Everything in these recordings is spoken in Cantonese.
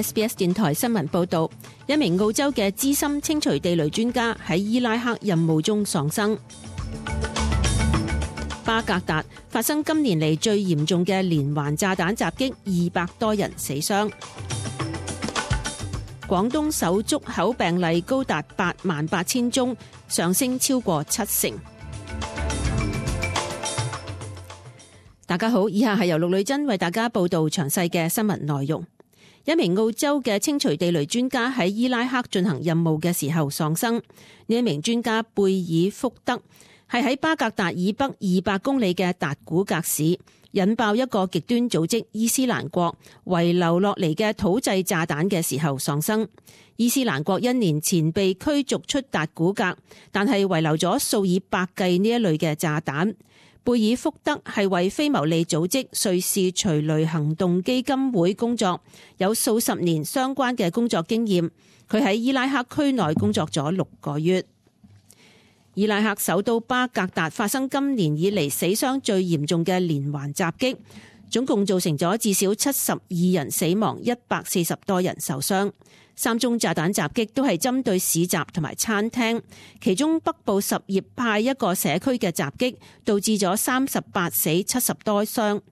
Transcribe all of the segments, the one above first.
SBS 電台新聞報道，一名澳洲嘅資深清除地雷專家喺伊拉克任務中喪生。巴格達發生今年嚟最嚴重嘅連環炸彈襲擊，200多人死傷。廣東首足口病例高達88000宗，上升超過70%。大家好，以下係由陸女珍為大家報道詳細嘅新聞內容。一名澳洲嘅清除地雷專家喺伊拉克進行任務嘅時候喪生。呢一名專家貝爾福德係喺巴格達以北200公里嘅達古格市引爆一個極端組織伊斯蘭國遺留落嚟嘅土製炸彈嘅時候喪生。伊斯蘭國1年前被驅逐出達古格，但係遺留咗數以百計呢一類嘅炸彈。貝爾福德係為非牟利組織瑞士隨雷行動基金會工作，有數十年相關嘅工作經驗。佢喺伊拉克區內工作咗6個月。伊拉克首都巴格達發生今年以嚟死傷最嚴重嘅連環襲擊，總共造成咗至少72人死亡，140多人受傷。3宗炸彈襲擊都係針對市集同埋餐廳，其中北部什葉派一個社區嘅襲擊導致咗38死70多傷。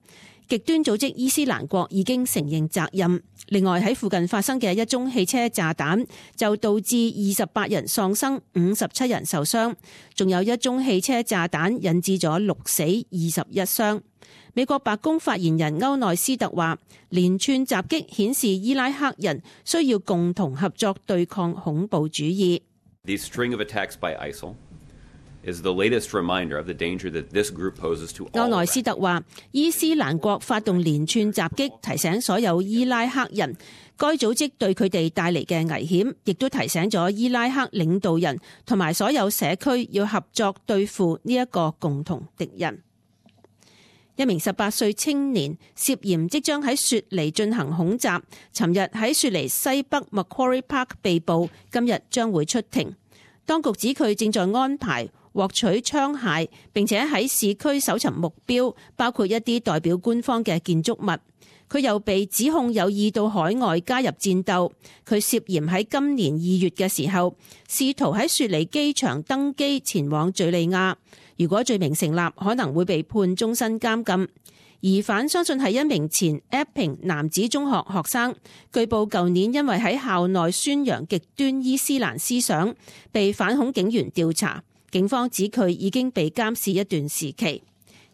極端組織伊斯蘭國已經承認責任。另外喺附近發生嘅一宗汽車炸彈就導致28人喪生，57人受傷，仲有一宗汽車炸彈引致咗6死21傷。美國白宮發言人歐內斯特話，連串襲擊顯示伊拉克人需要共同合作對抗恐怖主義。These string of attacks by ISIL is the latest reminder of the danger that this group poses to all. 歐內斯特話，伊斯蘭國發動連串襲擊，提醒所有伊拉克人該組織對佢哋帶嚟嘅危險，亦都提醒咗伊拉克領導人同埋所有社區要合作對付呢一個共同敵人。一名18歲青年涉嫌即將喺雪梨進行恐襲，尋日喺雪梨西北 Macquarie Park 被捕，今日將會出庭。當局指佢正在安排獲取槍械，並且喺市區搜尋目標，包括一啲代表官方嘅建築物。佢又被指控有意到海外加入戰鬥。佢涉嫌喺今年2月嘅時候，試圖喺雪梨機場登機前往敘利亞。如果罪名成立，可能會被判終身監禁。疑犯相信係一名前 Epping 男子中學學生，據報舊年因為喺校內宣揚極端伊斯蘭思想，被反恐警員調查。警方指佢已經被監視一段時期。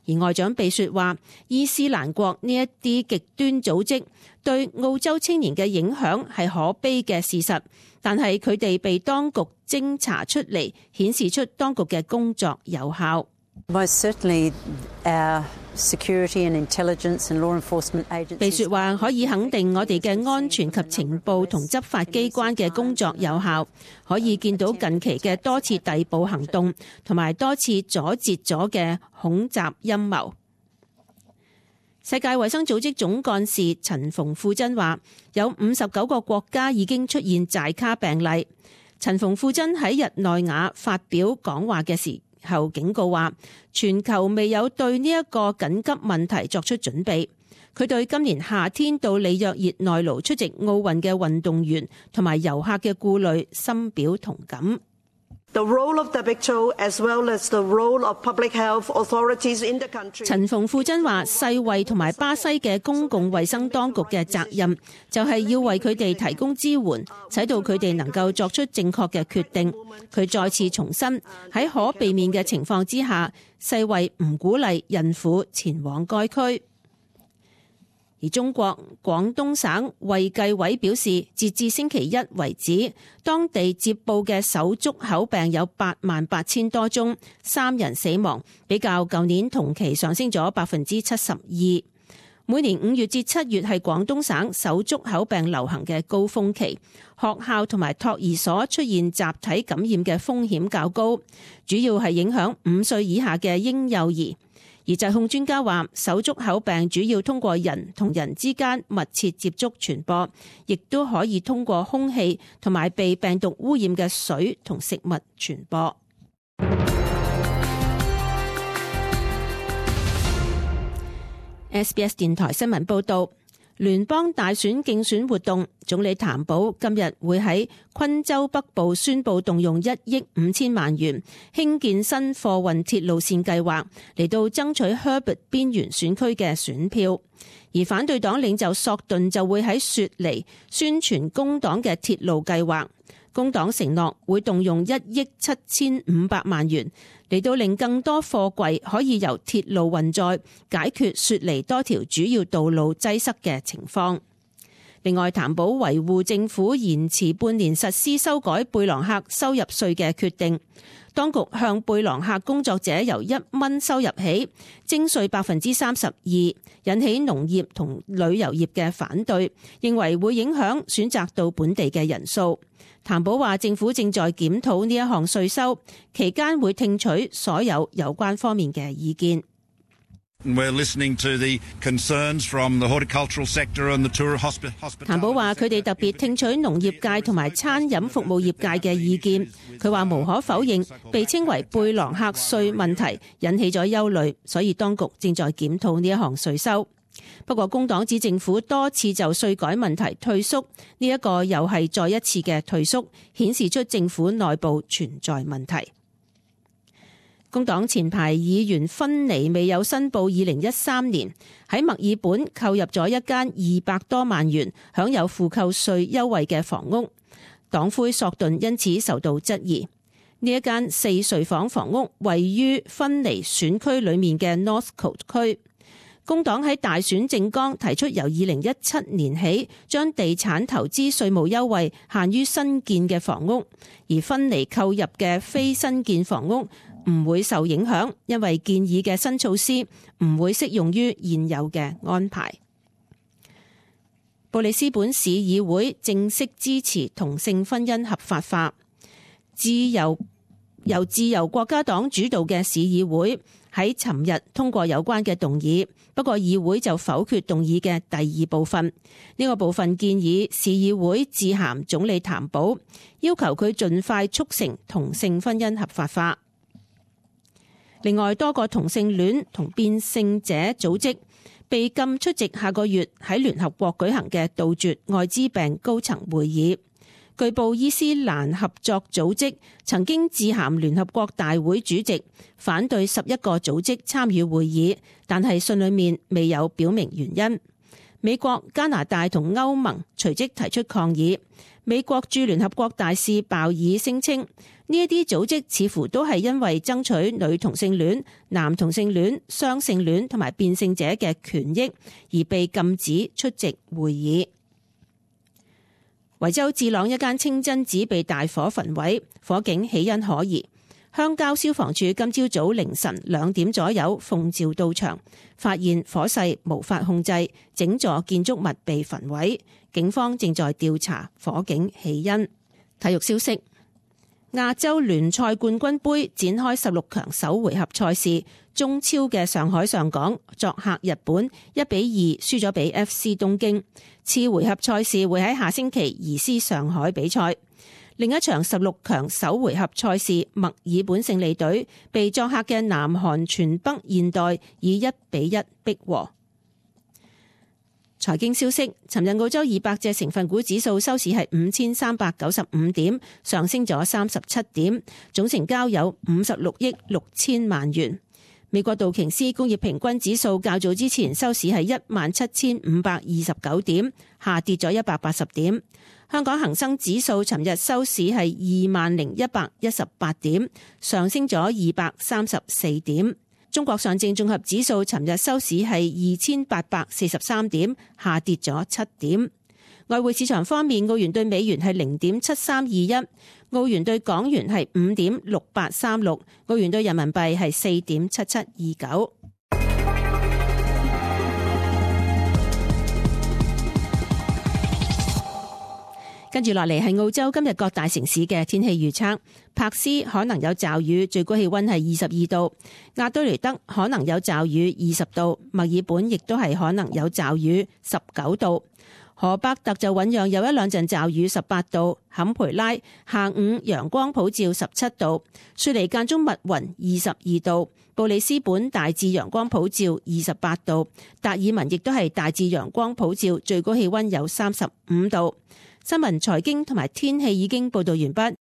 而外長比說話，伊斯蘭國呢一啲極端組織對澳洲青年嘅影響係可悲嘅事實，但係佢哋被當局偵查出嚟，顯示出當局嘅工作有效。被說話可以肯定我哋嘅安全及情報同執法機關嘅工作有效，可以見到近期嘅多次逮捕行動同埋多次阻截咗嘅恐襲陰謀。世界衛生組織總幹事陳馮富珍話，有59個國家已經出現寨卡病例。陳馮富珍喺日內瓦發表講話嘅時後警告話，全球未有對呢一個緊急問題作出準備。佢對今年夏天到里約熱內盧出席奧運嘅運動員同埋遊客嘅顧慮深表同感。陳馮富珍話，世衛同埋巴西嘅公共衛生當局嘅責任就係要為佢哋提供支援，使到佢哋能夠作出正確嘅決定。佢再次重申，喺可避免嘅情況之下，世衛唔鼓勵孕婦前往該區。而中國廣東省衛計委表示，截至星期一為止，當地接報嘅手足口病有88000多宗，3人死亡，比較舊年同期上升咗72%。每年5月至7月係廣東省手足口病流行嘅高峰期，學校同埋托兒所出現集體感染嘅風險較高，主要係影響5歲以下嘅嬰幼兒。而疾控專家話，手足口病主要通過人同人之間密切接觸傳播，亦都可以通過空氣同埋被病毒污染嘅水同食物傳播。SBS 電台新聞報道，聯邦大選競選活動，總理譚寶今日會喺昆州北部宣布動用1億5千萬元興建新貨運鐵路線計劃，嚟到爭取 Herbert 邊緣選區嘅選票。而反對黨領袖索頓就會喺雪梨宣傳工黨嘅鐵路計劃。工黨承諾會動用1億7500萬元嚟到令更多貨櫃可以由鐵路運載，解決雪梨多條主要道路擠塞嘅情況。另外，譚寶維護政府延遲半年實施修改貝朗客收入稅嘅決定。當局向貝朗客工作者由1蚊收入起徵稅32%，引起農業同旅遊業嘅反對，認為會影響選擇到本地嘅人數。譚寶話政府正在檢討呢一項稅收，期間會聽取所有有關方面嘅意見。譚寶話佢哋特別聽取農業界同埋餐飲服務業界嘅意見。佢話無可否認，被稱為貝朗客稅問題引起咗憂慮，所以當局正在檢討呢一項稅收。不過工黨指政府多次就稅改問題退縮，呢一個又係再一次嘅退縮，顯示出政府內部存在問題。工黨前排議員芬尼未有申報2013年喺墨爾本購入咗一間200多萬元享有負扣稅優惠嘅房屋，黨魁索頓因此受到質疑。呢一間4睡房房屋位於芬尼選區裏面嘅 Northcote 區。工黨喺大選政綱提出由2017年起將地產投資稅務優惠限於新建嘅房屋，而芬尼購入嘅非新建房屋唔會受影響，因為建議嘅新措施唔會適用於現有嘅安排。布里斯本市議會正式支持同性婚姻合法化，由自由國家黨主導嘅市議會喺尋日通過有關嘅動議，不過議會就否決動議嘅第2部分。呢個部分建議市議會致函總理譚寶，要求佢盡快促成同性婚姻合法化。另外，多個同性戀同變性者組織被禁出席下個月喺聯合國舉行嘅杜絕艾滋病高層會議。據報伊斯蘭合作組織曾經致函聯合國大會主席，反對11個組織參與會議，但係信裏面未有表明原因。美國、加拿大同歐盟隨即提出抗議。美國駐聯合國大使鮑爾聲稱，呢一啲組織似乎都係因為爭取女同性戀、男同性戀、雙性戀同埋變性者嘅權益而被禁止出席會議。維州智朗一間清真寺被大火焚毀，火警起因可疑。鄉郊消防處今朝早凌晨2點左右奉召到場，發現火勢無法控制，整座建築物被焚毀。警方正在調查火警起因。體育消息：亞洲聯賽冠軍盃展開16強首回合賽事，中超嘅上海上港作客日本1-2輸咗俾 FC 東京。次回合賽事會喺下星期移師上海比賽。另一場16強首回合賽事，墨爾本勝利隊被作客嘅南韓全北現代以1-1逼和。財經消息：尋日澳洲200隻成分股指數收市係5395點，上升咗37點，總成交有56億6千萬元。美國道瓊斯工業平均指數較早之前收市係17529點，下跌咗180點。香港恒生指數尋日收市係20118點，上升咗234點。中國上證綜合指數尋日收市係2843點，下跌咗7點。外匯市場方面，澳元對美元係0.7321，澳元對港元係5.6836，澳元對人民幣係4.7729。跟住落嚟係澳洲今日各大城市嘅天氣預測。柏斯可能有驟雨，最高氣溫係22度；亞德雷德可能有驟雨，20度；墨爾本亦都係可能有驟雨，19度；荷伯特就醞釀有一兩陣驟雨18度，坎培拉下午陽光普照17度，雪梨間中密雲22度，布里斯本大致陽光普照28度，達爾文亦都係大致陽光普照，最高氣溫有35度。新聞、財經同埋天氣已經報道完畢。